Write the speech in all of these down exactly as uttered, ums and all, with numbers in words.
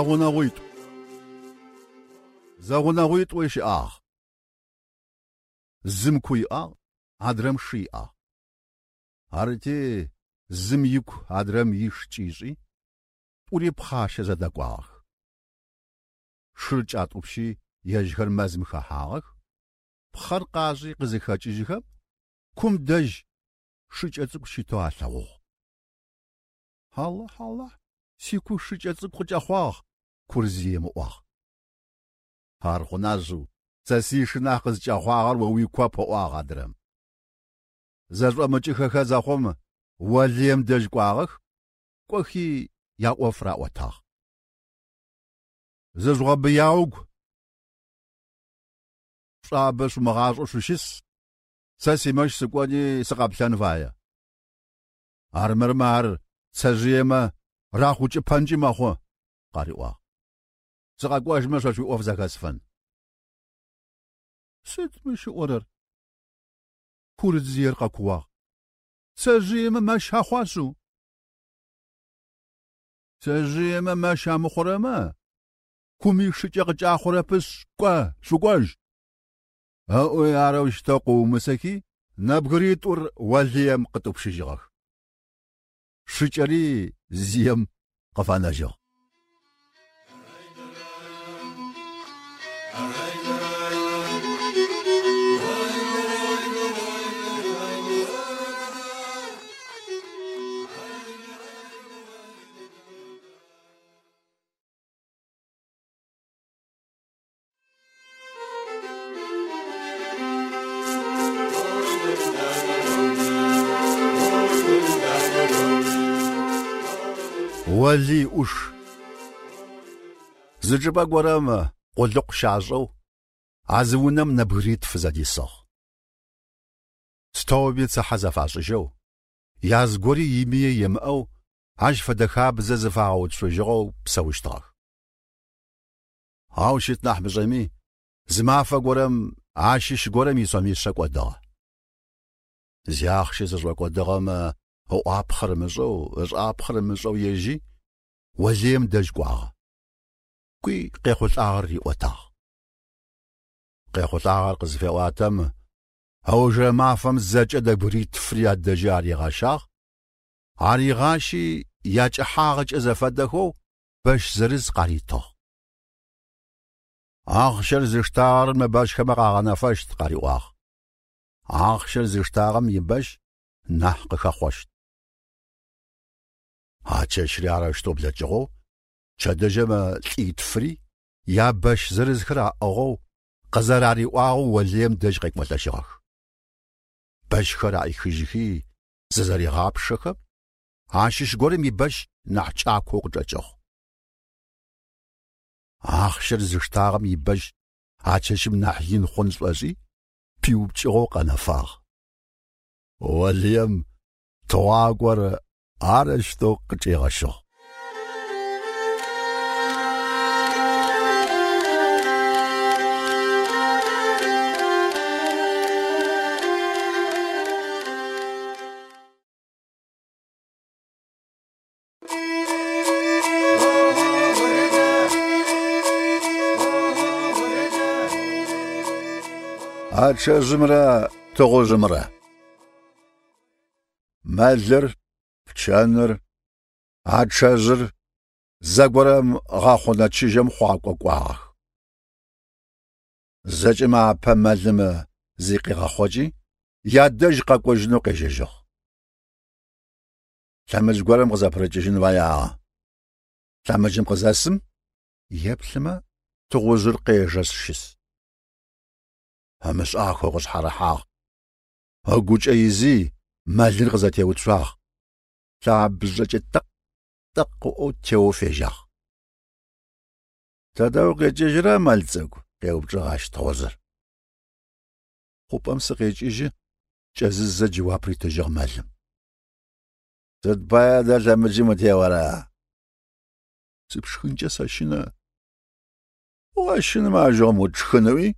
Зэгъунэгъуитӏу. Зэгъунэгъуитӏу щыӏагъ. Зым ку иӏагъ, адрэм шы иӏагъ. Арыти зым ику адрэм иш кӏишӏи, тӏури пхъащэ зэдэкӏуагъэх. Шыр кӏатӏупщи ежьхэр мэзым хэхьагъэх, пхъэр къашӏи къызыхэкӏыжьхэм, кум дэжь шыкӏэ цӏыкӏу щытэу алъэгъугъ. Аллахь, Аллахь, сику шыкӏэ цӏыкӏу къыкӏэхъуагъ, кур зием ыӏуагъ. Ар хъуна шъыу, сэ сишы нахь къызкӏэхъуагъэр о уикоп, ыӏуагъ адрэм. Зэшӏомыкӏыхэхэ зэхъум Олыем дэжь кӏуагъэх, кӏохи яӏоф раӏотагъ. Зыжъугъэбыяугу, шӏуабэ шъумыгъашӏэу шъущыс, сэ симэщ сыкӏони сыкъэплъэн фае. Армырмэ ар цэжъыемэ рахъукӏыпэнкӏи мэхъу, къариӏуагъ. Сыкъэкӏожьмэ шъо шъуиӏоф зэхэсфэн. Сыд мыщ ыӏорэр? Кур зиер къэкууагъ. Цэжъыемэ мэщ ахъуа шъыу? Цэжъыемэ мэщ амыхъурэмэ, куми шыкӏэ къыкӏахъурэпышъ, кӏо, шъукӏожь. Ыӏуи арэущтэу къыумысэхи, нэбгыритӏур Олыем къытӏупщыжьыгъэх. Шыкӏэри зием къыфэнэжьыгъ. Олый ӏуш. Зы чӏыпӏэ горэм къулыкъу щашӏэу, а зы унэм нэбгыритф зэдисыгъ. Пстэуми цыхьэ зэфашӏыжьэу, яз гори имые емыӏэу, ащ фэдэ хабзэ зыфагъэуцужьыгъэу псэущтыгъэх. Ау щыт нахь мышӏэми, зы мафэ горэм ащыщ горэм исомишъэ кӏодыгъэ. Зиахъщэ зышӏокӏодыгъэмэ ыӏуапхъэр ымышӏэу, ышӏапхъэр ымышӏэу ежьи, Олыем дэжь кӏуагъэ. Кӏуи къехъулӏагъэр риӏотагъ. Къехъулӏагъэр къызыфеӏуатэм, ыужырэ мафэм зэкӏэ нэбгыритфри адэжьы аригъэщагъ, аригъащи якӏыхьагъэкӏэ зэфэдэхэу бэщ зырыз къаритыгъ. Ахъщэр зыштагъэр мы бэщхэмэ къагъэнэфэщт, къариӏуагъ. Ахъщэр зыштагъэм ибэщ нахь къыхэхъощт. А чэщри арэущтэу блэкӏыгъэу, пчэдыжьым лӏитфри ябэщ зырызхэр аӏыгъэу къызэрариӏуагъэу Олыем дэжь къекӏолӏэжьыгъэх. Бэщхэр аӏихыжьхи зызэригъапшэхэм, ащыщ горэм ибэщ нахь кӏакоу къычӏэкӏыгъ. Ахъщэр зыштагъэм ибэщ а чэщым нахь ин хъун шӏошӏи, пиупкӏыгъэу къэнэфагъ. Олыем тыгъуакӏор арэущтэу къычӏигъэщыгъ. Ачъэжъымрэ тыгъужъымрэ. Мэлыр, пчэныр, ачъэжъыр зэгорэм гъэхъунэ чыжьэм хъуакӏо кӏуагъэх. Зэкӏэмэ апэ мэлым зыкъигъэхъокӏи, ядэжь къэкӏожьынэу къежьэжьыгъ. Лъэмыдж горэм къызэпырыкӏыжьын фэягъэ. Лъэмыджым къызэсым, еплъымэ тыгъужъыр къежэшъ щыс. Ымышӏахэу къышъхьарыхьагъ. Ыгучӏэ изи мэлыр къызэтеуцуагъ. Лъабжъэкӏэ тэкъ-тэкъ ыӏоу теоу фежьагъ. Тэдэ укъикӏыжьрэ, мэл цӏыкӏу? Къеупчӏыгъ ащ тыгъужъыр. Хъупӏэм сыкъекӏыжьы, кӏэзызэ джэуап ритыжьыгъ мэлым. Сыд пае адэ лъэмыджым утеора? Сыпшхынкӏэ сэщынэ. Ощынымэ ажыгъэм утшхын ыӏуи,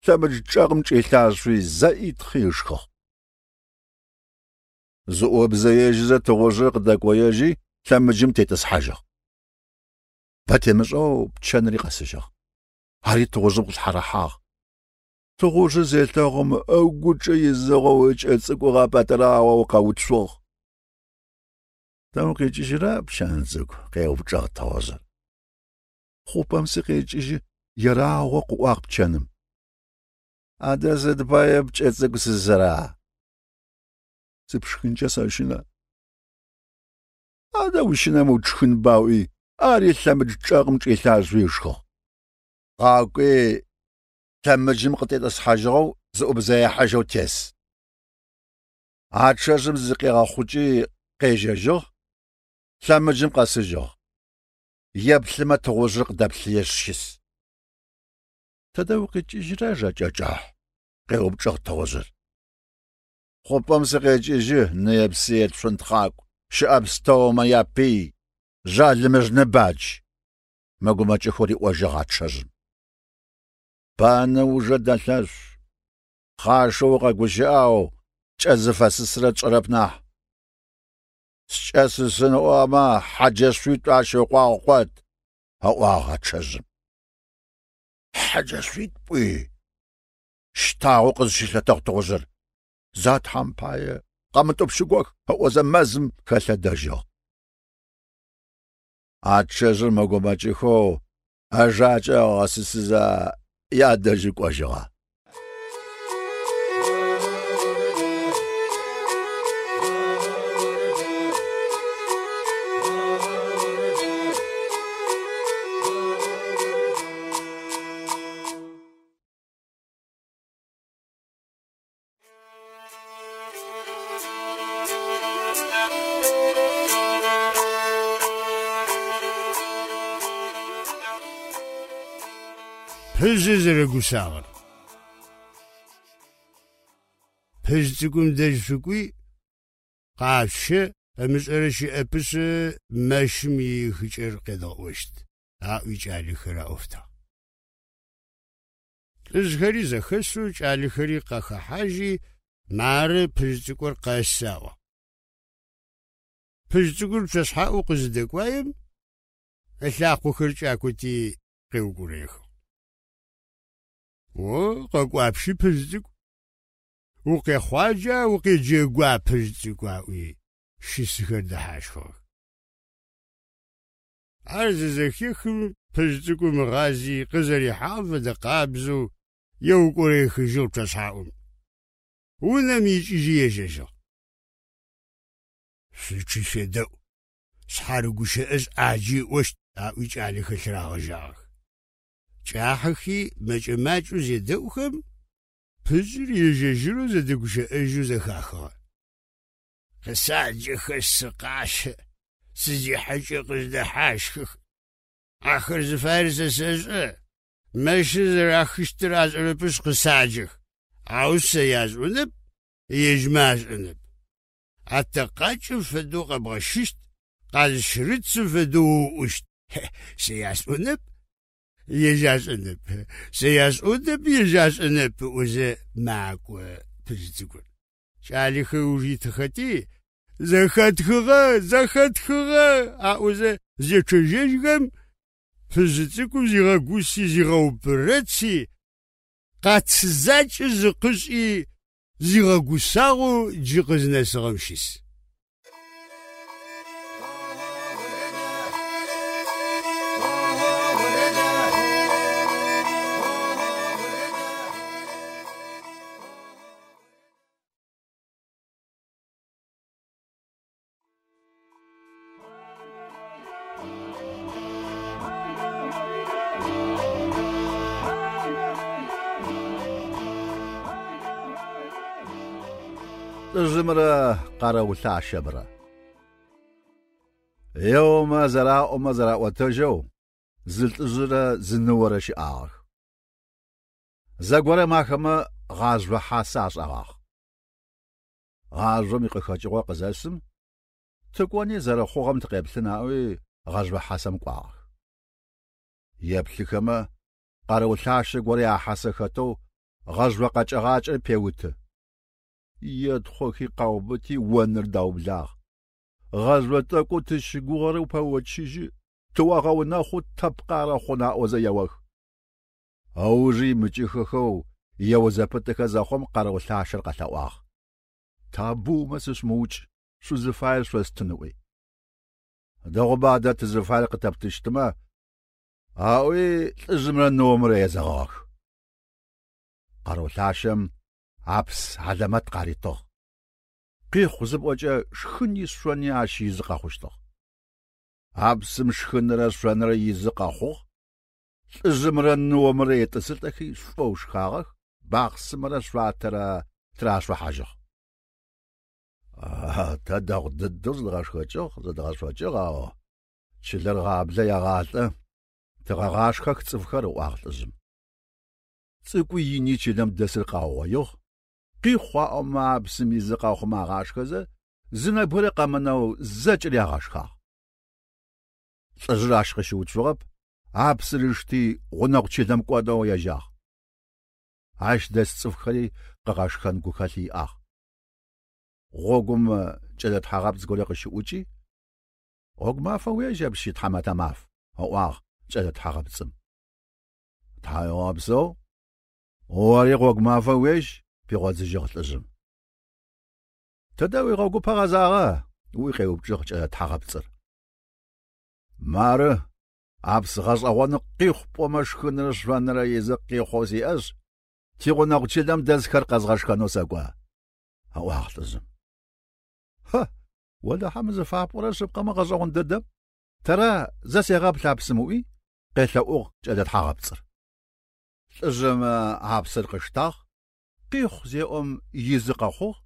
лъэмыдж чӏэгъым чӏилъашъуи зэӏитхъи ышхыгъ. Зыӏобзэежьызэ тыгъужъыр къыдэкӏоежьи лъэмыджым тетӏысхьажьыгъ. Бэ темышӏэу пчэнри къэсыжьыгъ. Ари тыгъужъым къышъхьарыхьагъ. Тыгъужъыр зелъэгъум ыгучӏэ изыгъэу ыкӏэ цӏыкӏу гъэпӏэтӏыраоу къэуцугъ. Тэ укъикӏыжьырэ, пчэн цӏыкӏу? Къеупчӏыгъ тыгъужъыр. Хъупӏэм сыкъекӏыжьы, ерагъэу къыӏуагъ пчэным. Адэ сыд пае пкӏэ цӏыкӏу сысыра? Сыпшхынкӏэ сэщынэ. Адэ ущынэмэ утшхынба ыӏуи, ари лъэмыдж чӏэгъым чӏилъашъуи ышхыгъ. Къакӏуи лъэмыджым къытетӏысхьажьыгъэу зыӏубзэехьажьэу тес. Ачъэжъым зыкъигъэхъукӏи къежьэжьыгъ, лъэмыджым къэсыжьыгъ. Еплъымэ тыгъужъыр къыдэплъыешъ щыс. Тэдэ укъикӏыжьырэ, жэкӏэ кӏыхь? Къеупчӏыгъ тыгъужъыр. Хъупӏэм сыкъекӏыжьы, ные-псые цунтхъакӏу, щыӏэ пстэумэ япый, жъалымыжъ ныбадж, мэгумэкӏыхэу риӏожьыгъ ачъэжъым. Банэ ужэ дэлъэшъу, пхъашэу укъэгущыӏэу, кӏэ зыфэсысырэ тшӏэрэп нахь. Скӏэ сысын ыӏомэ, хьэджэшъуитӏу ащ ыкъуагъ къот, ыӏуагъ ачъэжъым. Хьэджэшъуитӏу пӏуи? Щтагъэу къызщылъэтыгъ тыгъужъыр. За Тхьэм пае къэмытӏупщыгох ыӏозэ мэзым хэлъэдэжьыгъ. Ачъэжъыр мэгумэкӏыхэу ыжакӏэ ыгъэсысызэ ядэжьы кӏожьыгъэ. Пыжъыр зэрэгусагъэр. Пыжъ цӏыкӏум дэжь шъукӏуи, къашъущэ, ымышӏэрэ щыӏэпышъ мэщым иихыкӏэр къедгъэӏощт, аӏуи кӏалэхэр аӏофтагъ. Лӏыжъхэри зэхэсэу кӏалэхэри къахэхьажьи, мары пыжъ цӏыкӏур къэсы аӏуагъ. Пыжъ цӏыкӏур пчъэшъхьаӏу къызыдэкӏуаем, ылъакъохэр кӏакоти къеукӏурэехыгъ. О, къэкӏуапщи пыжъ цӏыкӏу, укъехъуаджа, укъеджэгуа пыжъ цӏыкӏу аӏуи щысхэр дэхьащхыгъэх. Ар зызэхехым пыжъ цӏыкӏум ыгъази къызэрихьагъэм фэдэ къабзэу еукӏурэехыжьыгъ пчъэшъхьаӏум. Унэм икӏыжьи ежьэжьыгъ. Шъучъи шъуедэӏу, шъхьарыгущыӏэжь ӏаджи ыӏощт, аӏуи кӏалэхэр лъырагъэжьагъэх. Кӏахьэхи мэкӏэ-макӏэу зедэӏухэм, пыжъыр ежь-ежьырэу зэдэгущыӏэжьэу зэхахыгъэ. Къысаджэхэшъ сыкъащэ, сызихьэкӏэ къыздэхьащхых. Ахэр зыфаер сэ сэшӏэ, мэщыр зэрахыщтыр ашӏэрэпышъ къысаджэх, ау сэ ясӏонэп, ежьмэ ашӏэнэп. Атэкъакӏэм фэдэу къэбгъэщыщт, къазщырыцым фэдэу ууӏущт. Сэ ясӏонэп, ежь ашӏэнэп. Сэ ясӏонэп, ежь ашӏэнэп, ыӏозэ макӏо пыжъ цӏыкӏур. Кӏалэхэр ыуж итыхэти, зэхэтхыгъэ, зэхэтхыгъэ аӏозэ зечъэжьэжьхэм, пыжъ цӏыкӏум зигъэгуси зигъэупырэци, къац закӏэ зыкъышӏи зигъэгусагъэу джы къызнэсыгъэм щыс. Лӏыжъымрэ къэрэулъащэмрэ. Еомэ зэраӏомэ зэраӏотэжьэу зы лӏыжъырэ зы ныорэ щыӏагъэх. Зэгорэм ахэмэ гъажъо хьасэ ашӏэгъагъ. Гъажъом икъыхэкӏыгъо къызэсым, тыкӏони зэрэхъугъэм тыкъеплъын аӏуи гъэжъо хьасэм кӏуагъэх. Еплъыхэмэ къэрэулъащэ горэ яхьасэ хэтэу гъэжъо къэкӏэгъакӏэр пеуты. Етхъохи къаубыти оныр даублагъ. Гъэжъо тӏэкӏоу тыщыгугъэрэ упэочыжьы, Тыогъэунэхъу, тэ пкъарэ хъун аӏозэ еох. Ыужы имыкӏыхэхэу ео зэпытыхэ зэхъум къэрэу лъащэр къэлъэӏуагъ. Табыумэ сышъумыукӏ, шъузыфаер шъостын ыӏуи. Дэгъуба адэ тызыфаер къытэптыщтымэ, аӏуи лӏыжъымрэ ныомрэ езэгъыгъэх. Къэрэу лъащэм апс хьалэмэт къаритыгъ. Къихъу зыпӏокӏэ шхыни шъони ащ изы къэхъущтыгъ. Апсым шхынырэ шъонырэ изы къэхъугъ. Лӏыжъымрэ ныомрэ етӏысылӏэхи шӏоу шхагъэх, бахъсымэрэ шъуатэрэ тырашъухьажьыгъ. Тэ дэгъу дыдэу зыдгъэшхэкӏыгъ, зыдгъэшъокӏыгъ, ау чылэр гъаблэ егъалӏэ, тыгъэгъашхэх цӏыфхэр, ыӏуагъ лӏыжъым. Цӏыкӏуи ини чылэм дэсыр къаугъоигъ. Къихъу аӏомэ апсым изы къэхъумэ агъашхэзэ, зы нэбгырэ къэмынэу зэкӏэри агъэшхагъ. Лӏыжъыр ащ къыщыуцугъэп, апсыр ышти гъунэгъу чылэм кӏонэу ежьагъ. Ащ дэс цӏыфхэри къыгъэшхэн гухэлъ иӏагъ. Гъогум кӏэлэ тхьагъэпцӏ горэ къыщыӏукӏи, гъогу мафэ уежьэпщи, тхьамэтэ маф, ыӏуагъ кӏэлэ тхьагъэпцӏым. Тхьауегъэпсэу, ори гъогу мафэ уежь, пигъодзыжьыгъ лӏыжъым. Тыдэ уигъогупэ гъэзагъэ? Ыӏуи къеупчӏыгъ кӏэлэ тхьагъэпцӏыр. Мары, апс гъэшӏэгъоны къихъу пӏомэ шхынырэ шъонырэ изы къихъоу сиӏэшъ, тигъунэгъу чылэм дэсхэр къэзгъэшхэнэу сэкӏо, ыӏуагъ лӏыжъым. Хэ, олахьэ мы зыфапӏорэр шъыпкъэмэ гъэшӏэгъон дэдэм, тэра зэ сегъэплъ апсым ыӏуи, къелъэӏугъ кӏэлэ тхьагъэпцӏыр. Лӏыжъым апсыр къыштагъ, къихъу зеӏом изы къэхъугъ,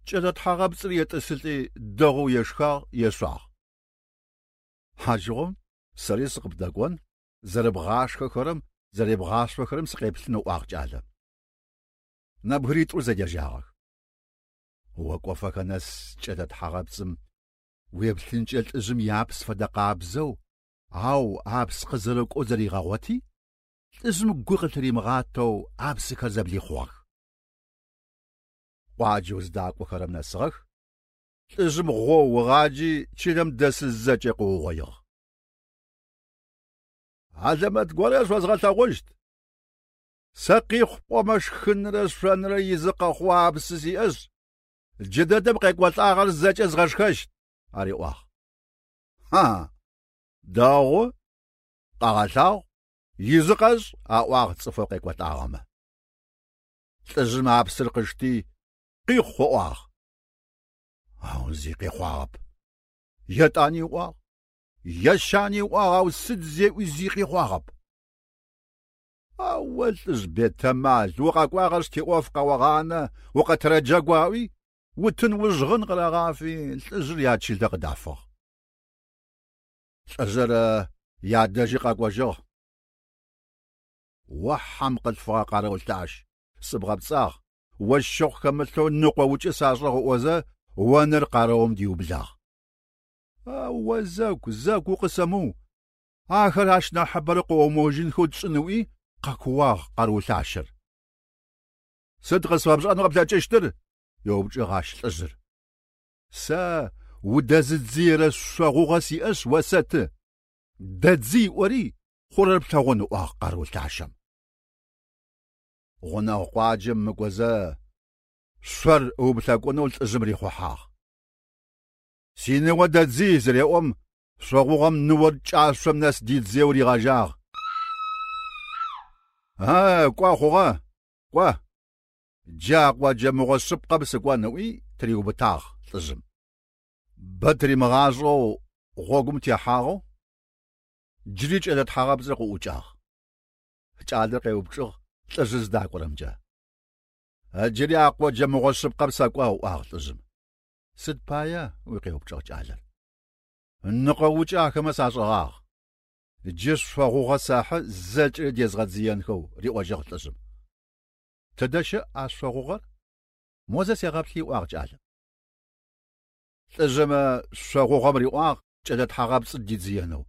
кӏэлэ тхьагъэпцӏыр етӏысылӏи дэгъоу ешхагъ, ешъуагъ. Ащыгъум сэри сыкъыбдэкӏон, зэрэбгъашхэхэрэм, зэребгъашъохэрэм сыкъеплъын ыӏуагъ кӏалэм. Нэбгыритӏур зэдежьагъэх. Окӏофэхэ нэс кӏэлэ тхьагъэпцӏым уеплъынкӏэ лӏыжъым иапс фэдэ къабзэу, ау апс къызэрыкӏоу зэригъэгъоти, лӏыжъым гу къылъыримыгъатэу апсыхэр зэблихъугъэх. Къуаджэу зыдакӏохэрэм нэсыгъэх, лӏыжъым гъоу ыгъаджи чылэм дэсы зэкӏэ къыугъоигъ. Хьалэмэт горэ шъозгъэлъэгъущт. Сэ къихъу пӏомэ шхынырэ шъонырэ изы къэхъу апсы сиӏэшъ, джыдэдэм къекӏолӏагъэр зэкӏэ згъэшхэщт, ариӏуагъ. Ха, дэгъу, къэгъэлъагъу, изы къэшӏ, аӏуагъ цӏыфэу къекӏолӏагъэмэ. Лӏыжъым апсыр къышти, къихъу ыӏуагъ. Ау зи къихъуагъэп. Етӏани ыӏуагъ, ещани ыӏуагъ, ау сыд зеӏуи зи къихъуагъэп. Ау о лӏыжъ бетэмал, укъэкӏуагъэшъ тиӏоф къэогъанэ, укъэтырэджэгу аӏуи, утын ужъгъын къырагъафи, лӏыжъыр ячылэ къыдафыгъ. Лӏыжъыр ядэжьи къэкӏожьыгъ. О хьэм къылъфыгъэ къэрэу лъащ, сыбгъэпцӏагъ, о щыгъу хэмылъэу ныкъоукӏы сашӏыгъ ыӏозэ, онэр къэрэум диублагъ. О зэгу, зэгу укъысэмыу, ахэр ащ нахьыбэрэ къыомыожьынхэу тшӏын ыӏуи, къэкууагъ къэрэу лъащэр. Сыд къысфэпшӏэнэу къэплъэкӏыщтыр? Еупчӏыгъ ащ лӏыжъыр. Сэ удэзыдзыерэ шъогъугъэ сиӏэшъ осэты. Дэдзый ыӏори, хъурэр плъэгъун ыӏуагъ къэрэу лъащэм. Гъунэгъу къуаджэм мыкӏозэ шъор ыуплъэкӏунэу лӏыжъым рихъухьагъ. Синыо дэдзый зыреӏом, шъогъугъэм ныор кӏашъом нэс дидзыеу ригъэжьагъ. А, кӏо хъугъэ, кӏо. Джа къоджэ мыгъо шъыпкъэм сыкӏон ыӏуи тыриубытагъ лӏыжъым. Бэ тыримыгъашӏэу гъогум техьагъэу, джыри кӏэлэ тхьагъэпцӏыр къыӏукӏагъ. Кӏалэр къеупчӏыгъ лӏыжъыр зыдакӏорэмкӏэ. Джыри а къоджэ мыгъо шъыпкъэм сэкӏо ыӏуагъ лӏыжъым. Сыд пае? Ыӏуи къеупчӏыгъ кӏалэр. Ныкъоукӏэ ахэмэ сашӏыгъагъ. Джы шъогъугъэ сэхьы зэкӏэри дезгъэдзыенхэу риӏожьыгъ лӏыжъым. Тыдэ щыӏ а шъогъугъэр? Мо зэ сегъэплъи ыӏуагъ кӏалэм. Лӏыжъым шъогъугъэм риӏуагъ кӏэлэ тхьагъэпцӏыр дидзыенэу.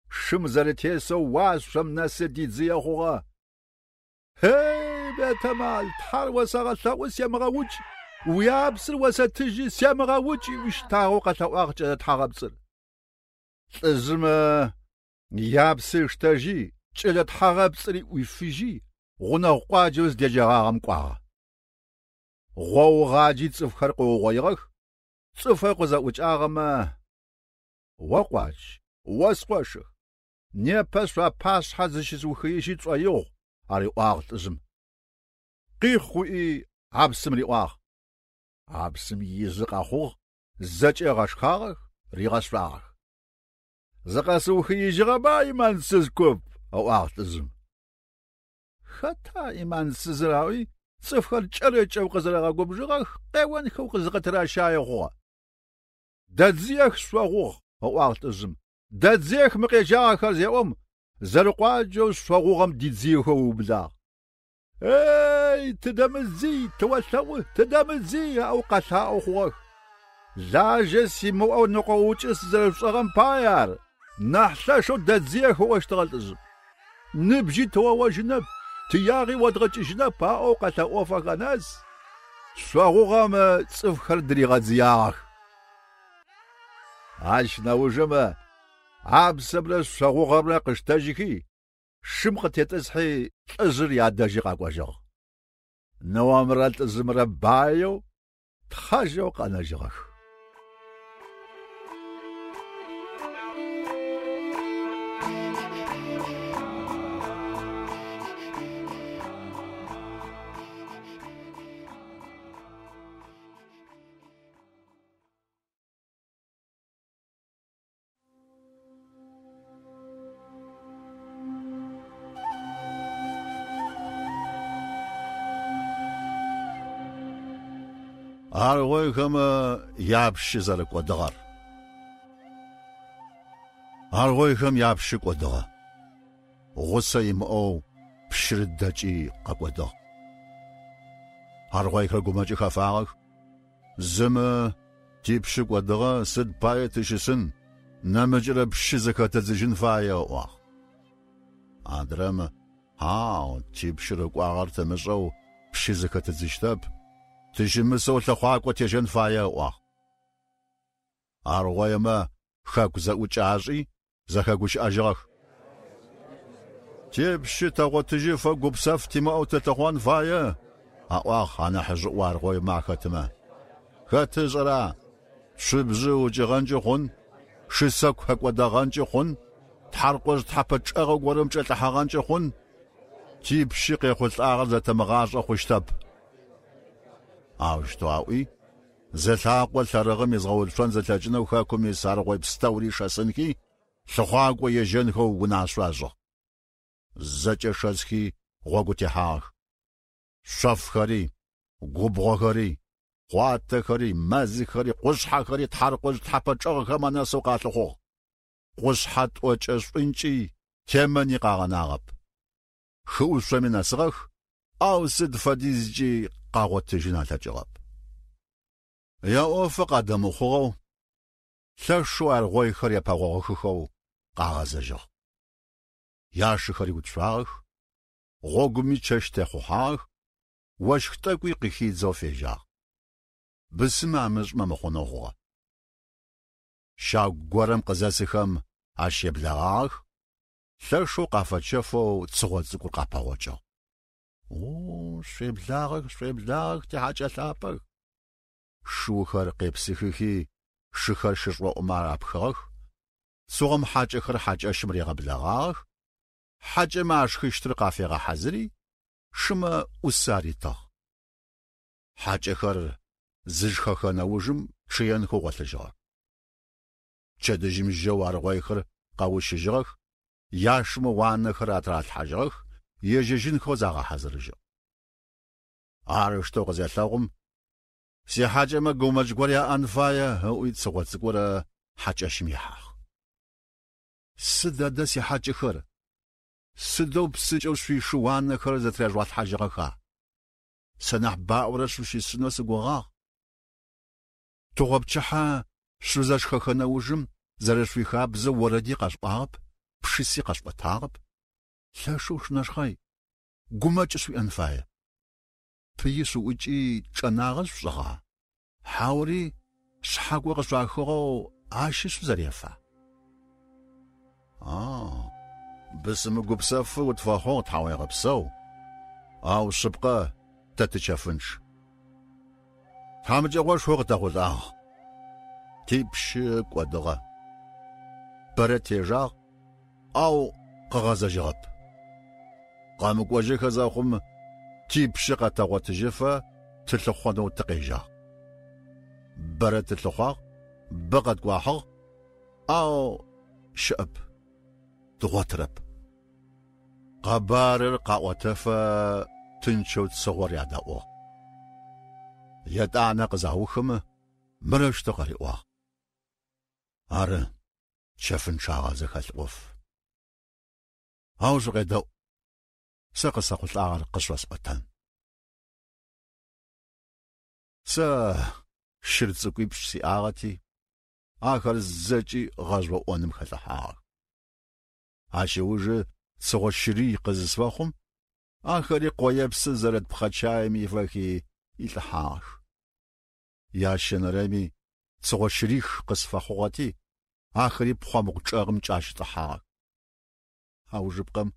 Шым зэрэтесэу уашъом нэсы дидзые хъугъэ. Хей, бетэмал, Тхьэр осэгъэлъэӏу семыгъэукӏ, уиапсыр осэтыжьи семыгъэукӏ, ыӏуи щтагъэу къэлъэӏуагъ кӏэлэ тхьагъэпцӏыр. Лӏыжъымэ япсы ыштэжьи, кӏэлэ тхьагъэпцӏыри ӏуифыжьи, гъунэгъу къуаджэу зыдеджэгъагъэм кӏуагъэ. Гъоугъаджи цӏыфхэр къыугъоигъэх, цӏыфэу къызэӏукӏагъэмэ: «О къуадж, о скъошых, непэ шъуапашъхьэ зыщысыухыижьи тшӏоигъу», ариӏуагъ лӏыжъым. Къихъуи хьапсым риӏуагъ. Хьапсым изы къэхъугъ, зэкӏэ ыгъэшхагъэх, ригъэшъуагъэх. «Зыкъэсыухыижьыгъэба, ӏиманцыз куп», ыӏуагъ лӏыжъым. Хэта ӏиманцызыр аӏуи, цӏыфхэр кӏэрыкӏэу къызэрэгъэгубжыгъэх, къеонхэу зыкъытыращае хъугъэ. «Дэдзыех шъогъугъ», ыӏуагъ лӏыжъым. Дэдзыех мы къежьагъэхэр зеӏом, зэрэкъуаджэу шъогъугъэм дидзыехэу ыублагъ. Эй, тыдэмыдзый, тыолъэӏу, тыдэмыдзый, аӏоу къэлъаӏоу хъугъэх. Лажьэ симыӏэу ныкъоукӏы сызэрэшъушӏыгъэм пае ар, нахь лъэшэу дэдзыех ыӏощтыгъэ лӏыжъым. Ныбжьи тыоожьынэп, тыягъи одгъэкӏыжьынэп аӏоу къэлъэӏофэхэ нэс, шъогъугъэм цӏыфхэр дыригъэдзыягъэх. Ащ нэужым хьапсымрэ шъогъугъэмрэ къыштэжьыхи, шым къытетӏысхьи лӏыжъыр ядэжьи къэкӏожьыгъ. Ныомрэ лӏыжъымрэ баеу, тхъэжьэу къэнэжьыгъэх. Аргъойхэмэ япщы зэрэкӏодыгъэр. Аргъойхэм япщы кӏодыгъэ. Гъусэ имыӏэу пщыр дэкӏи къэкӏодыгъ. Аргъойхэр гумэкӏы хэфагъэх. Зымэ типщы кӏодыгъэ сыд пае тыщысын, нэмыкӏырэ пщы зэхэтэдзыжьын фае ыӏуагъ. Адрэмэ, хьау, типщыр ыкӏуагъэр тымышӏэу пщы зэхэтэдзыщтэп, тыщымысэу лъэхъуакӏо тежьэн фае ыӏуагъ. Аргъоймэ хэку зэӏукӏэ ашӏи зэхэгущыӏэжьыгъэх. Типщы тэгъотыжьыфэ гупсэф тимыӏэу тылъыхъон фае, аӏуагъ анахьыжъыӏо аргъоймэ ахэтымэ. Хэт ышӏэра? Цубжъы укӏыгъэнкӏи хъун, шысэку хэкӏодэгъэнкӏи хъун, тхьаркъожъ тхьэпэ чӏэгъэ горэм кӏэлӏыхьэгъэнкӏи хъун, типщы къехъулӏагъэр зэтэмыгъашӏэ хъущтэп. Аущтэу аӏуи, зэлъакъо лъэрыгъым изгъэуцон зэлъэкӏынэу хэкум ис аргъой пстэури шэсынхи, лъыхъуакӏо ежьэнхэу унашъо ашӏыгъ. Зэкӏэ шэсхи гъогу техьагъэх. Шъофхэри, губгъохэри, хъуатэхэри, мэзхэри, къушъхьэхэри тхьаркъожъ тхьэпэ чӏэгъхэм анэсэу къалъыхъугъ. Къушъхьэ тӏокӏэ шӏункӏи темэни къагъэнагъэп. Хыӏушъоми нэсыгъэх, ау сыд фэдизкӏи къагъотыжьын алъэкӏыгъэп. Яӏофы къадэмыхъугъэу, лъэшэу аргъойхэр епэгъогъэхыхэу къагъэзэжьыгъ. Яшыхэри уцуагъэх, гъогуми чэщ техъухьагъэх, ощх тӏэкӏуи къыхидзэу фежьагъ. Бысымэ амышӏмэ мыхъунэу хъугъэ. Щагу горэм къызэсыхэм ащ еблэгъагъэх, лъэшэу къафэчэфэу цыгъо цӏыкӏур къапэгъокӏыгъ. О, шъуеблагъэх, шъуеблагъэх, тихьакӏэ лъапӏэх. Шыухэр къепсыхыхи, шыхэр шышӏоӏумэ рапхыгъэх, цыгъом хьакӏэхэр хьакӏэщым ригъэблэгъагъэх, хьакӏэмэ ашхыщтыр къафегъэхьазыри, шымэ ӏус аритыгъ. Хьакӏэхэр зышхэхэ нэужым чъыенхэу гъолъыжьыгъэх. Пчэдыжьым жьэу аргъойхэр къэущыжьыгъэх, яшымэ уанэхэр атыралъхьажьыгъэх, ежьэжьынхэу загъэхьазырыжьыгъ. Арыштэу къызелъэгъум, сихьакӏэмэ гумэкӏ гор яӏэн фае, ыӏуи цыгъо цӏыкӏурэ хьакӏэщым ихьагъ. Сыд адэ сихьакӏэхэр? Сыдэу псынкӏэу шъуишы уанэхэр зэтыряжъугъалъхьажьыгъэха? Сэ нахь баӏорэ шъущысынэу сыгугъагъ. Тыгъопчыхьэ шъузэшхэхэ нэужым зэрэшъуихабзэу орэди къэшъуӏуагъэп, пшыси къэшъуӏотагъэп. Лъэшэу шъунэшхъэй, гумэкӏ шъуиӏэн фае. Пыи шъуӏукӏи чӏэнагъэ шъушӏыгъа? Хьаури шъхьакӏо къышъуахыгъэу ащи шъузэрефа? А, бысымы гупсэфы утфэхъугъ, тхьауегъэпсэу. Ау шъыпкъэ тэ тычэфынчъ. Тхьамыкӏэгъошхо къытэхъулӏагъ. Типщы кӏодыгъэ. Бэрэ тежагъ, ау къыгъэзэжьыгъэп. Къэмыкӏожьыхэ зэхъум типщы къэтэгъотыжьыфэ тылъыхъонэу тыкъежьагъ. Бэрэ тылъыхъуагъ, бэ къэткӏуахьыгъ, ау щыӏэп, дгъотырэп. Къэбарыр къаӏотэфэ тынчэу цыгъор ядэӏугъ. Етӏанэ къызаухымэ мырэущтэу къариӏуагъ. Ары, чэфынчъагъэ зэхэлъ ӏоф. Ау шъукъедэӏу, сэ къысэхъулӏагъэр къышъосӏотэн. Сэ щыр цӏыкӏуипшӏ сиӏагъэти, ахэр зэкӏи гъэжъоӏоным хэлӏыхьагъэх. Ащ ыужы цыгъо щырий къызысфэхъум, ахэри къоепсы зэрыт пхъэчаем ифэхи илӏыхьагъэх. Ящэнэрэми цыгъо щырих къысфэхъугъэти, ахэри пхъэмбгъу чӏэгъым кӏащытӏыхьагъэх. Аужыпкъэм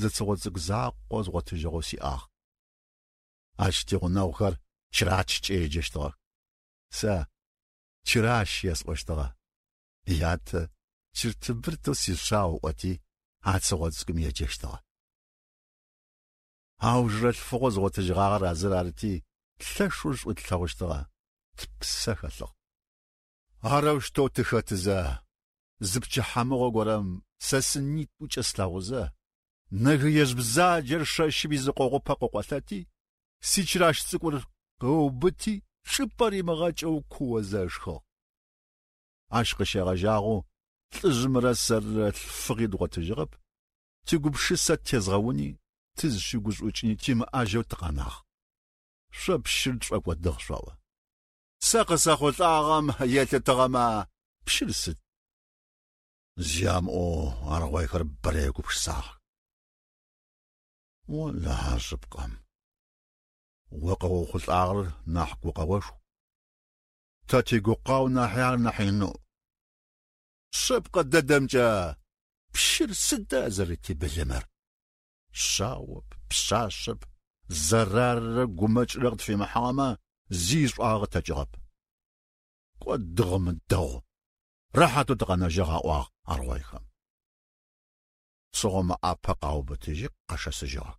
зы цыгъо цӏыкӏу закъо згъотыжьыгъэу сиӏагъ. Ащ тигъунэгъухэр чырачкӏэ еджэщтыгъэх. Сэ чыращ есӏощтыгъэ. Ятэ чыртыбыртэу сишъау ыӏоти, а цыгъо цӏыкӏум еджэщтыгъэ. Аужырэ лъфыгъо згъотыжьыгъагъэр а зыр арыти, лъэшэу шӏу тлъэгъущтыгъэ, тпсэ хэлъыгъ. Арэущтэу тыхэтызэ, зы пчыхьэмыгъо горэм сэ сынитӏукӏэ слъэгъузэ, нэгыежъ бзаджэр шэщым изыкъогъупэ къыкъолъэти, сичыращ цӏыкӏур къыубыти, чӏыпӏэ римыгъэкӏэу куозэ ышхыгъ. Ащ къыщегъэжьагъэу лӏыжъымрэ сэррэ лъфыгъи дгъотыжьыгъэп, тигупшысэ тезгъэуни, тызщыгушӏукӏыни тимыӏэжьэу тыкъэнагъ. Шъо пщыр тшӏокӏодыгъ шъоӏо. Сэ къысэхъулӏагъэм елъытыгъэмэ, пщыр сыд? Зи амыӏоу аргъойхэр бэрэ егупшысагъэх. Олахьэ шъыпкъэм, о къыохъулӏагъэр нахь гукъэошху. Тэ тигукъау нахьи ар нахь иныӏу. Шъыпкъэ дэдэмкӏэ пщыр сыда зэрэтибылымэр? Шъаоп, пшъашъэп, зэраррэ гумэкӏрэ къытфимыхьыгъэмэ, зи шӏуагъэ къытэкӏыгъэп. Кӏодыгъэмэ дэгъу, рэхьатэу тыкъэнэжьыгъ аӏуагъ аргъойхэм. Цыгъомэ ӏапэ къаубытыжьи къэшэсыжьыгъэх.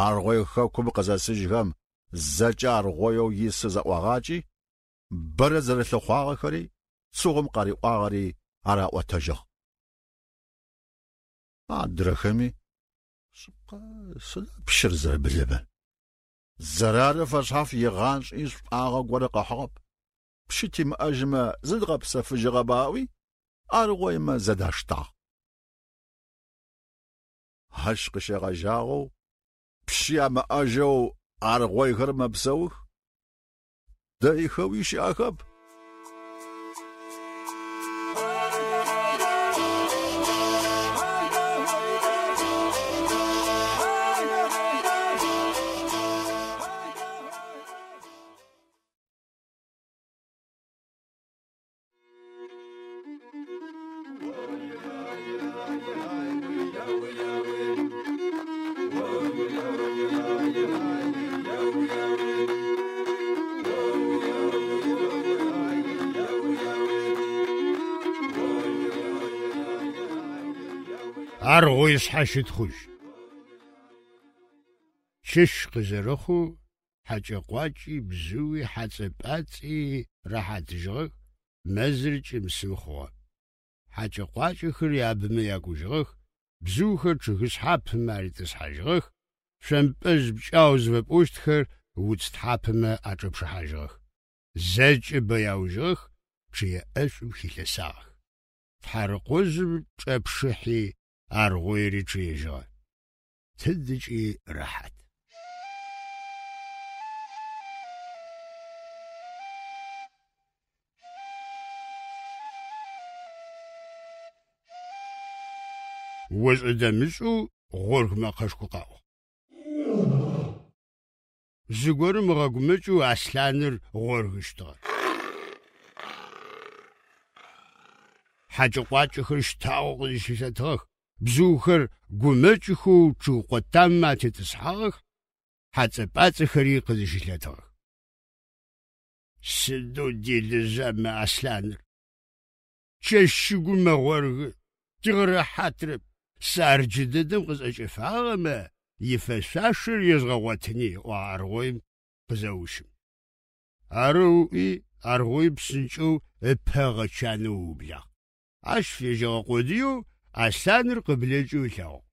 Аргъой хэкум къызэсыжьхэм зэкӏэ аргъоеу исы зэӏуагъакӏи, бэрэ зэрэлъыхъуагъэхэри, цыгъом къариӏуагъэри араӏотэжьыгъ. Адрэхэми шъыпкъэ сыда пщыр зэрэбылымэр? Зэрары фэшъхьаф игъашӏи шӏуагъэ горэ къыхьыгъэп. Пщы тимыӏэжьымэ зыдгъэпсэфыжьыгъэба ыӏуи, аргъоймэ зэдаштагъ. Ащ къыщегъэжьагъэу пщы ямыӏэжьэу аргъойхэр мэпсэух, дэйхэуи щыӏэхэп. Аргъой шъхьащытхъужь. Чэщ къызэрэхъоу хьэкӏэ-къуакӏи, бзыуи, хьацӏэ-пӏацӏи рэхьатыжьыгъэх, мэзыр кӏым-сым хъугъэ. Хьэкӏэ-къуакӏэхэр ябымэ якӏужьыгъэх, бзыухэр чъыгышъхьапэмэ арытӏысхьажьыгъэх, шъомпӏэжъ пкӏау зыфэпӏощтхэр уц тхьапэмэ ачӏэпшыхьажьыгъэх. Зэкӏэ бэяужьыгъэх, чъые ӏэшӏум хилъэсагъэх. Тхьарыкъожъым чӏэпшыхьи аргъойри чъыежьыгъэ. Тыдыкӏи рэхьат. Ошӏэ-дэмышӏэу гъорг мэкъэшхо къэӏугъ. Зыгорэм ыгъэгумэкӏэу аслъаныр гъоргыщтыгъэ. Хьакӏэ-къуакӏэхэр щтагъэу къызщылъэтыгъэх, бзыухэр гумэкӏыхэу чъыг къотаммэ атетӏысхьагъэх, хьацӏэ-пӏацӏэхэри къызщылъэтыгъэх. Сыдэу делэжъа мы аслъаныр! Чэщ шыгум мэгъоргы, тигъэрэхьатрэп, сэ ар джыдэдэм къысӏэкӏэфагъэмэ, ифэшъуашэр езгъэгъотыни, ыӏуагъ аргъоим къызэущым. Арэу ыӏуи, аргъоим псынкӏэу ыпэ ыгъэчанэу ыублагъ. Ащ фежьэгъэ къодыеу аслъаныр къыблэкӏэу ылъэгъугъ.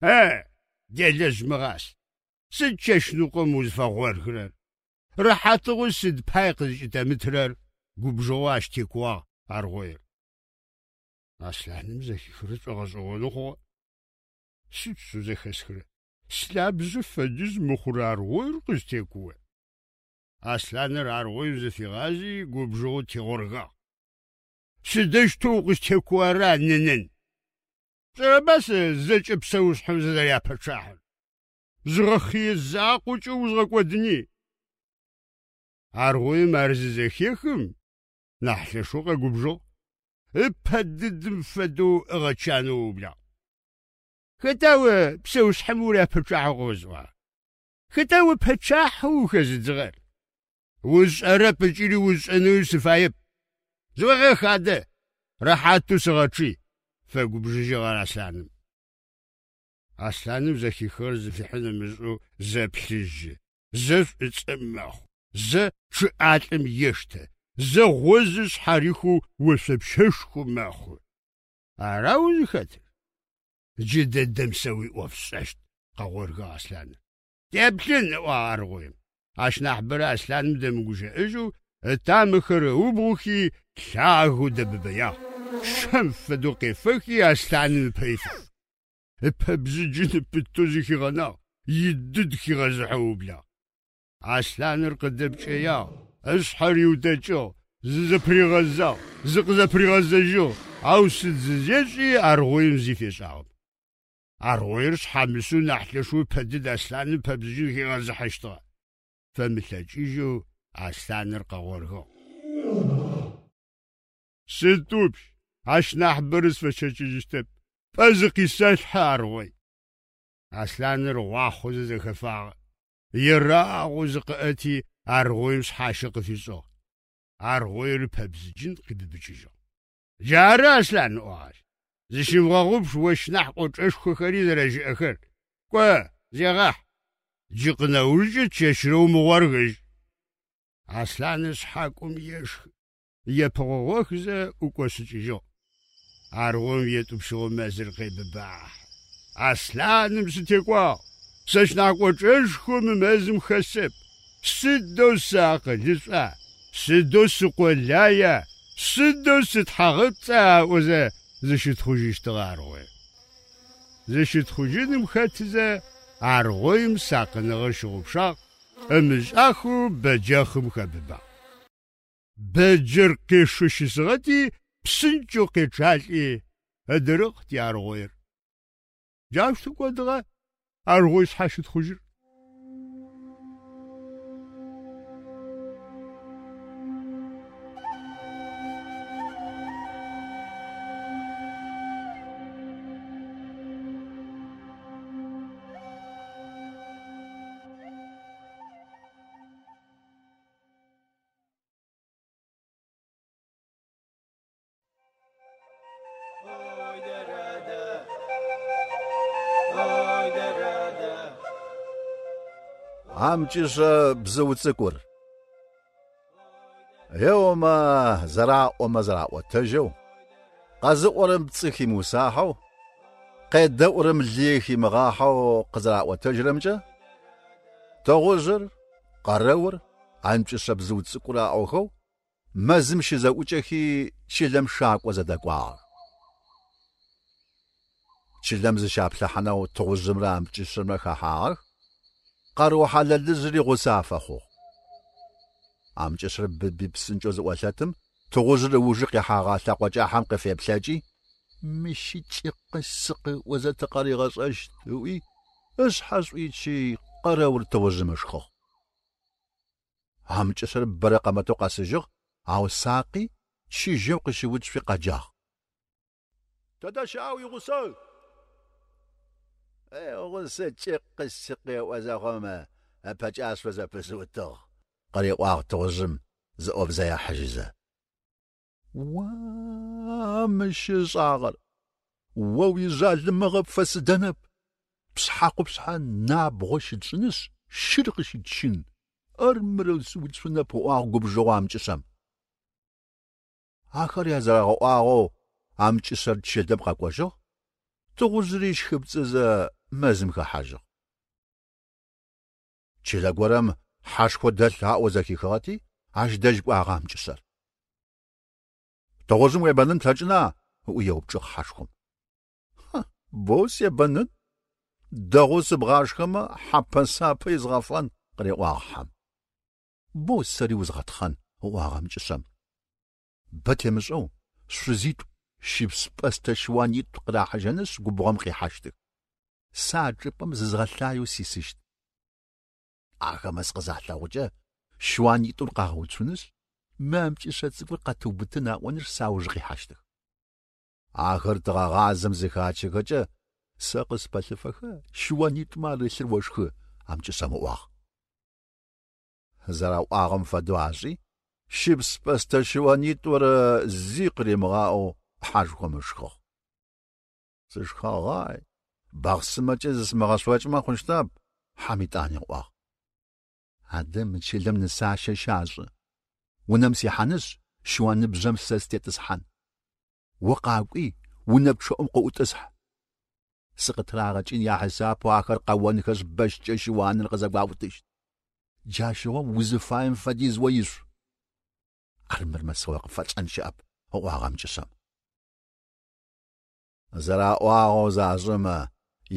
Э, делэжъ мыгъас, сыд чэщныкъом узфэгъорхырэр? Рэхьатыгъо сыд пай къызкӏытэмытырэр? Губжыгъэу ащ текууагъ аргъоир. Аслъаным зэхихырэр шӏогъэшӏэгъонэу хъугъэ. Сыд шъу зэхэсхырэр? Слабжъэ фэдиз мыхъурэ аргъоир къыстекуо. Аслъаныр аргъоим зыфигъази губжыгъэу тегъоргагъ. Сыдэущтэу укъыстекуора, нынын? Пшӏэрэба сэ зэкӏэ псэушъхьэм сызэряпэчъахьыр? Зыгъэхъые закъокӏэ узгъэкӏодыни. Аргъоим ар зызэхехым, нахь лъэшэу къэгубжыгъ. Ыпэ дыдым фэдэу ыгъэчанэу ыублагъ. Хэта о псэушъхьэм уряпэчъахьэу къыозыӏуагъэр? Хэта о пэчъахьэу ухэзыдзыгъэр? Усшӏэрэп ыкӏи усшӏэнэуи сыфаеп. Зыуегъэх адэ, рэхьатэу сыгъэчъый, фэгубжыжьыгъ ар аслъаным. Аслъаным зэхихыгъэр зыфихьын ымышӏэу зэ плъыжьы, зэ шӏуцӏэ мэхъу, зэ чъыӏалӏэм ештэ, зэ гъозыр шъхьарихэу ошъопщэшхо мэхъу. Ара узыхэтыр? Джыдэдэм сэ уиӏоф сшӏэщт, къэгъоргыгъ аслъаныр. Теплъын, ыӏуагъ аргъоим. Ащ нахьыбэрэ аслъаным дэмыгущыӏэжьэу ытамэхэр ыубгъухи лъагэу дэбыбэягъ. Щэм фэдэу къефэхи аслъаным ыпэ ифагъ. Ыпэ бзыджын пытэу зыхигъэнагъ, идыд хигъэзыхьэу ыублагъ. Аслъаныр къыдэпкӏэягъ, ышъхьэ риутэкӏыгъ, зызэпыригъэзагъ, зыкъызэпыригъэзэжьыгъ, ау сыд зызешӏи аргъоим зи фешӏагъэп. Аргъоир шъхьамысэу нахь лъэшэу ыпэ дыд аслъаным пэбзыджын хигъэзыхьэщтыгъэ. Фэмылъэкӏыжьэу аслъаныр къэгъоргыгъ. Сытӏупщ, ащ нахьыбэрэ сфэщэчыжьыщтэп, пӏэ зыкъисэлъхьэ, аргъой. Аслъаныр гъуахъозэ зэхэфагъэ. Ерагъэу зыкъыӏэти аргъоим шъхьащэ къыфишӏыгъ. Аргъоир ыпэбзыджын къибыбыкӏыжьыгъ. Джары, аслъан, ыӏуагъ ащ. Зыщымыгъэгъупш ощ нахь кӏочӏэшхохэри зэрэщыӏэхэр. Кӏо, зегъахь. Джы къынэужкӏэ чэщрэ умыгъоргыжь. Аслъаныр шъхьакӏом ешхы, епыгъогъохзэ ӏукӏошъыкӏыжьыгъ. Аргъоим етӏупщыгъэу мэзыр къебыбахьы. Аслъаным сытекӏуагъ. Сэщ нахь кӏочӏэшхо мы мэзым хэсэп. Сыдэу сыакъылышӏуа, сыдэу сыкъолая, сыдэу сытхьагъэпцӏа ыӏозэ зыщытхъужьыщтыгъэ аргъоир. Зыщытхъужьыным хэтызэ аргъоим сакъыныгъэр щыгъупшагъ, ымышӏахэу бэджэхъым хэбыбагъ. Бэджэр къешэу щысыгъэти псынкӏэу къечъалӏи ыдырыгъ ти аргъоир. Джаущтэу кӏодыгъэ аргъой шъхьащытхъужьыр. Амкӏышъэ бзыу цӏыкӏур. Еомэ зэраӏомэ зэраӏотэжьэу, къэзыӏорэм пцӏы химыусахьэу, къедэӏурэм лые химыгъахьэу къызэраӏотэжьырэмкӏэ, тыгъужъыр, къэрэур, амкӏышъэ бзыу цӏыкӏур аӏохэу мэзым щызэӏукӏэхи чылэм шакӏо зэдэкӏуагъэх. Чылэм зыщаплъыхьанэу тыгъужъымрэ амкӏышъэмрэ хэхьагъэх, къэрыу хьалэлыжъри гъусэ афэхъугъ. Амкӏышъэр быби псынкӏэу зыӏолъэтым, тыгъужъыр ыужы къихьэгъэ лъэкъо кӏахьэм къыфеплъэкӏи, мыщи кӏыкъы-сыкъы ыӏозэ тыкъыригъэшӏэщт ыӏуи, ышъхьэ шӏуичи къэрэур тыгъужъым ышхыгъ. Амкӏышъэр бэрэ къэмытэу къэсыжьыгъ, ау сакъи чыжьэу къыщыуцуи къэджагъ. Тэдэ щыӏа уигъусэр? Гъусэкӏэ къысикъеӏо зэхъум ыпэкӏашъо зэпысыутыгъ, къыриӏуагъ тыгъужъым зыӏобзэ ехьыжьызэ. Уа, мыщ ышӏагъэр! О уижъалымыгъэ пфэсыдэнэп. Пшъхьэ къупшъхьэ набгъо щытшӏынышъ, щыр къыщытщын. Армырэу сыуцунэп, ыӏуагъ губжыгъэу амкӏышъэм. Ахэр язэрэгъэӏуагъэу амкӏышъэр чылэм къэкӏожьыгъ, тыгъужъыри щхыпцӏызэ мэзым хэхьажьыгъ. Чылэ горэм хьэшхо дэлъ аӏоу зэхихыгъэти, ащ дэжь кӏуагъэ амкӏышъэр. Тыгъужъым уебэнын плъэкӏына? Ыӏуи еупчӏыгъ хьэшхом. Боу себэнын, дэгъоу сыбгъашхэмэ хьапэ-сапэ изгъэфэн, къыриӏуагъ хьэм. Боу сэри узгъэтхъэн, ыӏуагъ амкӏышъэм. Бэ темышӏэу шъузитӏу щыпс-пӏэстэ щыуанитӏу къырахьыжьэнышъ губгъом къихьащтых. Сэ а чӏыпӏэм зызгъэлъаеу сисыщт. Ахэмэ сыкъызалъэгъукӏэ щыуанитӏур къагъэуцунышъ, мы амкӏышъэ цӏыкӏур къэтыубытын аӏонышъ сауж къихьащтых. Ахэр тыгъэгъазэм зыхачэхэкӏэ сэ къыспэлъыфэхэ щыуанитӏумэ арылъыр ошхы, амкӏышъэм ыӏуагъ. Зэраӏуагъэм фэдэу ашӏи, щыпс-пӏэстэ щыуанитӏур зи къыримыгъаӏоу хьэшхом ышхыгъ. Сышхэгъай, бахъсымэкӏэ зысымыгъэшъокӏымэ хъущтэп, хьэм итӏани ыӏуагъ. Адэ мы чылэм нысащэ щашӏы. Унэм сихьанышъ, щыуаныбжъэм сэ сытетӏысхьан. О къакӏуи, унэ пчъэӏум къыӏутӏысхь. Сыкъытырагъэкӏын яхьисапэу ахэр къэонхэшъ бэщкӏэ щыуаныр къызэгуаутыщт. Джащыгъом узыфаем фэдиз о ишъу. Армырмэ сэ къыпфэчӏэн щыӏэп, ыӏуагъ амкӏышъэм. Зэраӏуагъэу зашӏэмэ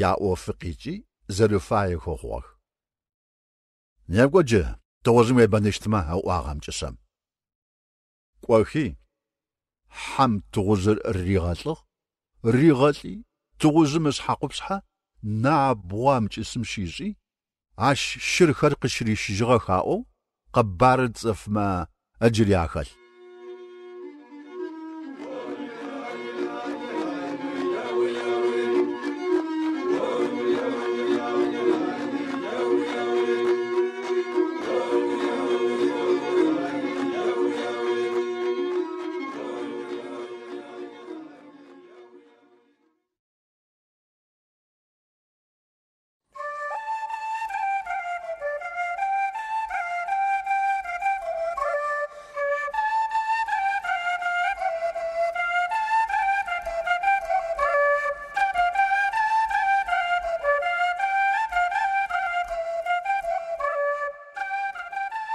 яӏофы къикӏи зэрыфаехэу хъугъэх. Некӏо джы тыгъужъым уебэныщтмэ, ыӏуагъ амкӏышъэм. Кӏохи, хьэм тыгъужъыр ригъэлӏыгъ, ригъэлӏи тыгъужъым ышъхьэ къупшъхьэ набгъо амкӏышъым щишӏи, ащ щырхэр къыщырищыжьыгъэх аӏоу къэбарыр цӏыфмэ ыджыри ахэлъ.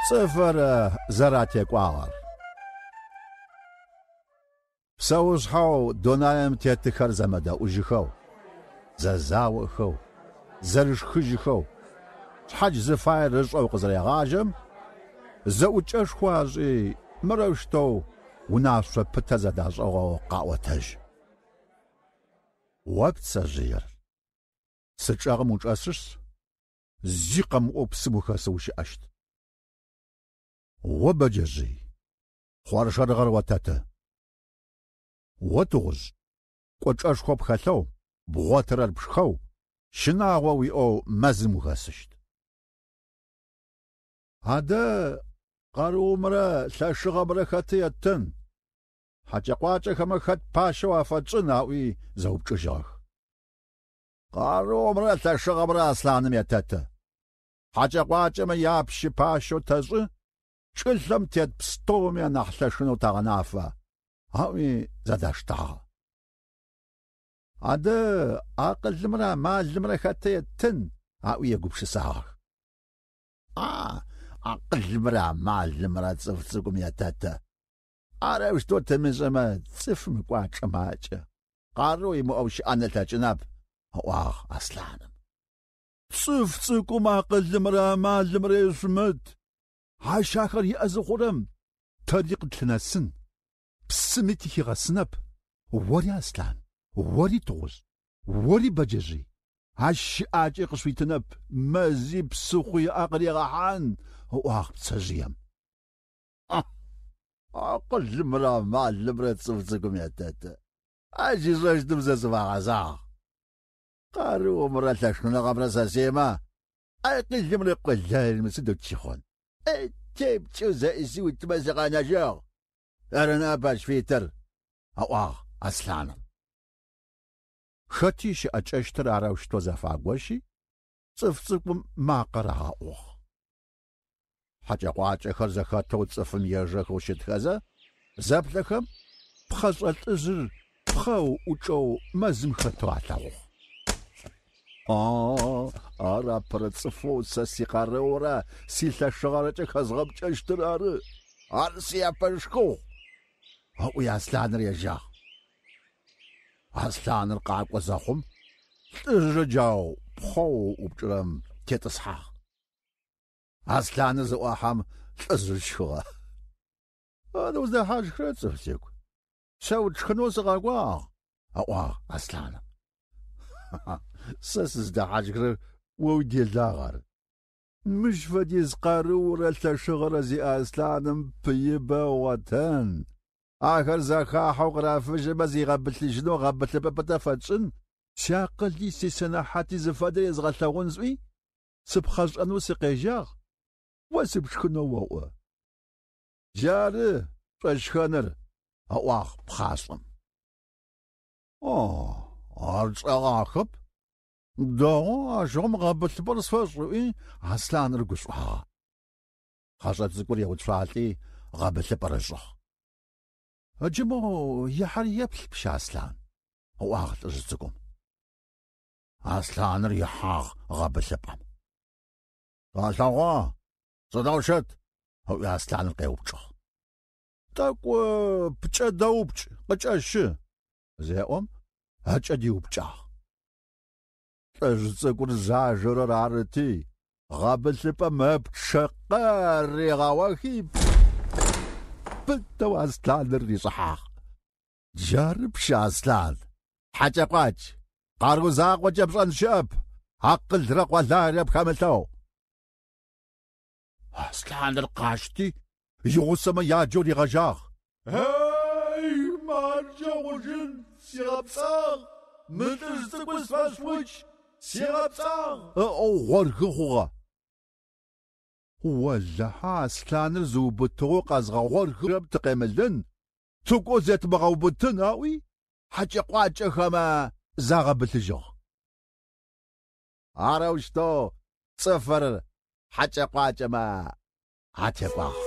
Цӏыфыр зэратекӏуагъэр. Псэушъхьэу дунаим тетыхэр зэмыдэӏужьыхэу, зэзаохэу, зэрышхыжьыхэу, шъхьадж зыфаер ышӏэу къызэрегъажьэм, зэӏукӏэшхо ашӏи мырэущтэу унашъо пытэ зэдашӏыгъэу къаӏотэжь. О пцэжъыер, цы чӏэгъым учӏэсышъ, зи къэмыӏоу псым ухэсэу ущыӏэщт. О бэджэжъый, хъоршэрыгъэр отэты. О тыгъужъ, кӏочӏэшхо пхэлъэу, бгъотырэр пшхэу, щынагъо уиӏэу мэзым ухэсыщт. Адэ къарыумрэ лъэшыгъэмрэ хэты еттын, хьакӏэ-къуакӏэхэмэ хэт пащэу афэтшӏын аӏуи зэупчӏыжьыгъэх. Къарыумрэ лъэшыгъэмрэ аслъаным етэты. Хьакӏэ-къуакӏэмэ япщы пащэу тэшӏы, чӏылъэм тет пстэуми анахь лъэшынэу тагъэнафэ, аӏуи зэдаштагъэ. Адэ акъылымрэ амалымрэ хэты еттын, аӏуи егупшысагъэх. А, акъылымрэ амалымрэ цӏыф цӏыкӏум етэты. Арэущтэу тымышӏэмэ цӏыфым ыкӏуачӏэ макӏэ, къарыу имыӏэу щыӏэн ылъэкӏынэп, ыӏуагъ аслъаным. Цӏыф цӏыкӏум акъылымрэ амалымрэ ешъумыт. Ащ ахэр иӏэ зыхъурэм тэри къытлъынэсын, псыми тыхигъэсынэп. Ори аслъан, ори тыгъужъ, ори бэджэжъый. Ащ щыӏакӏэ къышъуитынэп, мэзи псыхъуи ыӏэ къырегъэхьан, ыӏуагъ пцэжъыем. Акъылымрэ амалымрэ цӏыф цӏыкӏум етэты. Ащ ишӏэщтым сэ сыфэгъэзагъ. Къарыумрэ лъэшыныгъэмрэ сэсемэ, акъылымрэ къулайымрэ сыдэу тщыхъун. Тепкӏэу зэӏисыутмэ сыкъэнэжьыгъ. Арынап ащ фитыр, ыӏуагъ Аслъаным. Хэти щыӏэкӏэщтыр арэущтэу зэфагощи, цӏыф цӏыкӏум макъэ рагъэӏугъ. Хьакӏэ-къуакӏэхэр зэхэтэу цӏыфым ежэхэу щытхэзэ, зэплъэхэм пхъэшӏэ лӏыжъыр пхъэ ыӏукӏэу мэзым хэтэу алъэгъугъ. А, ар апэрэ цӏыфэу сэ сикъарыурэ силъэшыгъэрэкӏэ хэзгъэпкӏэщтыр ары. Ар сияпэшхыгъу, ыӏуи Аслъаныр ежьагъ. Аслъаныр къакӏо зэхъум, лӏыжъыр джау пхъэу ыӏупкӏырэм тетӏысхьагъ. Аслъаныр зыӏуахьэм лӏыжъыр щхыгъэ. Ар уздэхьащхырэ цӏыф цӏыкӏу. Сэ утшхынэу сыкъэкӏуагъ, ыӏуагъ Аслъаным. Сэ сыздэхьащхырэр о уиделагъ ары. Мыщ фэдиз къарыурэ лъэшыгъэрэ зиӏэ Аслъаным пыибэ ыгъотэн. Ахэр зэхахьэу къырафыжьымэ зигъэбылъыжьынэу гъэбылъыпӏэ пытэ фэтшӏын, сиакъыли сисэнэхьати зыфэдэр езгъэлъэгъун сӏуи, сыпхъэшӏэнэу сыкъежьагъ, о сыпшхынэу оӏо. Джары шӏошхэныр, ыӏуагъ пхъашӏэм. О, ар чӏэгъахэп. Дэгъу ащыгъум гъэбылъыпӏэр сфэшӏ, ыӏуи Аслъаныр гушӏуагъэ. Пхъэшӏэ цӏыкӏур еуцуалӏи гъэбылъыпӏэр ышӏыгъ. Ыджы моу ихьэр еплъ, пщы Аслъан, ыӏуагъ лӏыжъ цӏыкӏум. Аслъаныр ихьагъ гъэбылъыпӏэм. Алъэгъуа, сыдэу щыт? Ыӏуи Аслъаныр къеупчӏыгъ. Тӏэкӏу пкӏэ дэупкӏ, къыкӏэщы, зеӏом, ыкӏэ диупкӏагъ. Лӏыжъ цӏыкӏур зажэрэр арыти, гъэбылъыпӏэм ыпчъэ къыригъэохи, пытэу Аслъаныр ришӏыхьагъ. Джары, пщы Аслъан, хьакӏэ-къуакӏ, къарыу закъокӏэ пшӏэн щыӏэп, акъылрэ къуаларэ пхэмылъэу. Аслъаныр къащти, игъусэмэ яджэу ригъэжьагъ. Эй, марджэ хъужьын, сигъэпцӏагъ, мы лӏыжъ цӏыкӏур сфэшъукӏ, сигъэпцӏагъ, ыӏоу гъорхы хъугъэ. Олахьэ Аслъаныр зыубытыгъэу къэзгъэгъорхырэм тыкъемылын, тыгоу зетымыгъэубытын аӏуи, хьакӏэ-къуакӏэхэмэ загъэбылъыжьыгъ. Арэущтэу цӏыфыр хьакӏэ-къуакӏэмэ атекӏуагъ.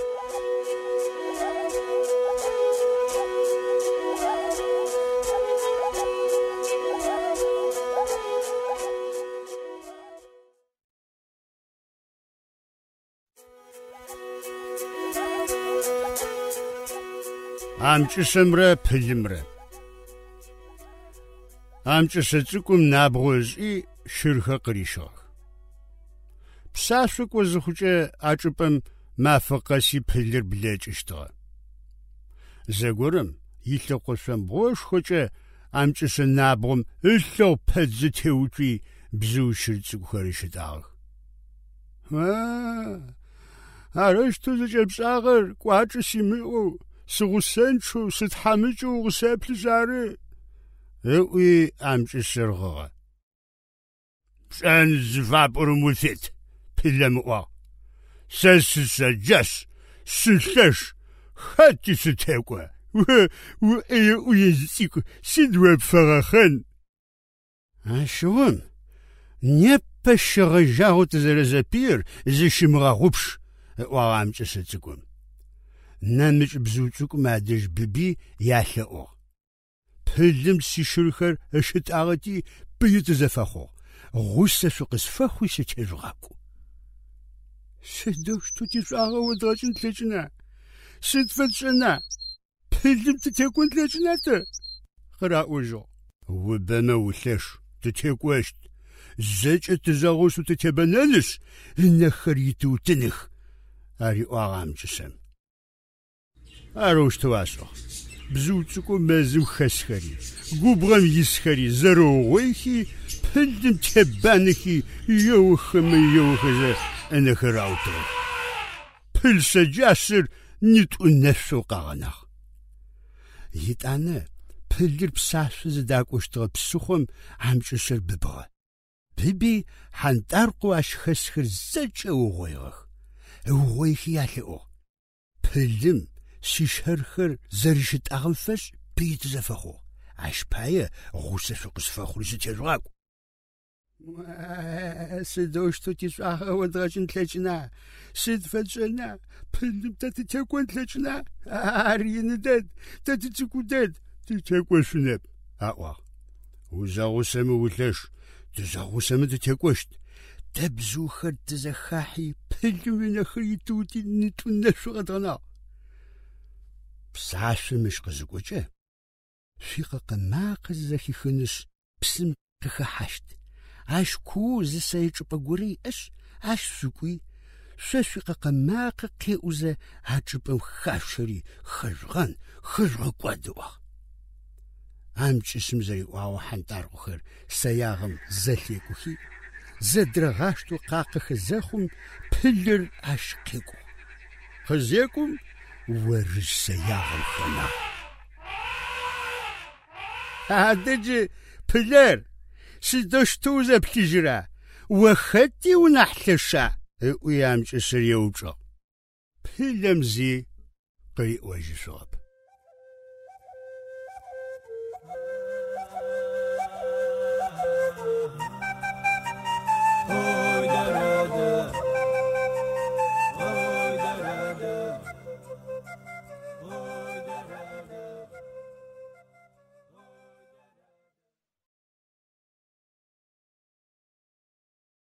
Амкӏышъэмрэ пылымрэ. Амкӏышъэ цӏыкӏум набгъо ышӏи щырхэр къырищыгъэх. Псашъо кӏо зыхъукӏэ а чӏыпӏэм мафэ къэси пылыр блэкӏыщтыгъэ. Зэгорэм илъэкъо шъомбгъошхокӏэ амкӏышъэ набгъом ылъэгъу пэтзэ теуцуи бзыу щыр цӏыкӏухэр ыщытӏагъэх. А, арэущтэу зыкӏэпшӏагъэр кӏуачӏэ симыӏэу, сыгъусэнчъэу, сытхьамыкӏэу укъысэплъышъ ары, ыӏуи амкӏышъэр гъыгъэ. Пшӏэн зыфапӏорэм уфит, пылэм ыӏуагъ. Сэ сысэджэшъ, сылъэш, хэти сытекӏо. Уӏэе-ӏуежъ цӏыкӏу, сыд о пфэгъэхъэн? Ащыгъум непэ щегъэжьагъэу тызэрэзэпыир зыщымыгъэгъупш, ыӏуагъ амкӏышъэ цӏыкӏум. Нэмыкӏ бзыу цӏыкӏум адэжь быби ялъэӏугъ. Пылым сищырхэр ыщытӏагъэти пыи тызэфэхъугъ. Гъусэ шъукъысфэхъуи сытежъугъакӏу. Сыдэущтэу тишӏуагъэ одгъэкӏын тлъэкӏына? Сыд фэтшӏэна? Пылым тытекӏон тлъэкӏына тэ? Къыраӏожьыгъ. Убэмэ улъэш, тытекӏощт. Зэкӏэ тызэгъусэу тытебэнэнышъ, ынэхэр итыутыных, ариӏуагъ амкӏышъэм. Арэущтэу ашӏыгъ. Бзыу цӏыкӏоу мэзым хэсхэри, губгъом исхэри зэрэугъоихи, пылым тебанэхи, еохэмэ еохэзэ ынэхэр раутыгъэх. Пыл сэджашъэр нитӏу нэшъоу къагъэнагъ. Итӏанэ Пылыр псашъо зыдакӏощтыгъэ псыхъом амкӏышъэр быбыгъэ. Быби хьантӏаркъоу ащ хэсхэр зэкӏэ ыугъоигъэх. Ыугъоихи ялъэӏугъ: Пылым сищэрхэр зэрищытӏагъэм фэшӏ пыи тызэфэхъугъ. Ащ пае гъусэ шъукъысфэхъури сытежъугъакӏу. Сыдэущтэу тишӏуагъэ одгъэкӏын тлъэкӏына? Сыд фэтшӏэна? Пылым тэ тытекӏон тлъэкӏына? Ар ины дэд, тэ тыцӏыкӏу дэд, тытекӏошъунэп, аӏуагъ. Узэгъусэмэ улъэш, тызэгъусэмэ тытекӏощт. Тэ бзыухэр тызэхахьи, пылым ынэхэр итыути нитӏу нэшъу къэдгъэнагъ. Псашъо мыщ къызыкӏокӏэ, шъуикъэкъэ макъэ зэхихынышъ, псым къыхэхьащт. Ащ куоу зы сэе чӏыпӏэ горэ иӏэшъ, ащ шъукӏуи, шъо шъуикъэкъэ макъэ къеӏузэ а чӏыпӏэм хашъущэри хэжъугъэн, хэжъугъэкӏуад ыӏуагъ. Амкӏышъым зэриӏуагъэу хьантӏаркъохэр сэягъэм зэлъекӏухи, зэдырагъаштэу къакъэхэ зэхъум, пылыр ащ къекӏугъ. Къызекӏум орыжъ сэягъэм хэнагъ. Адэ джы, пылэр, сыдэущтэу узэплъыжьыра? О хэти унахь лъэша? Ыӏуи амкӏышъыр еупчӏыгъ. Пылэм зи къыриӏожьышъугъэп.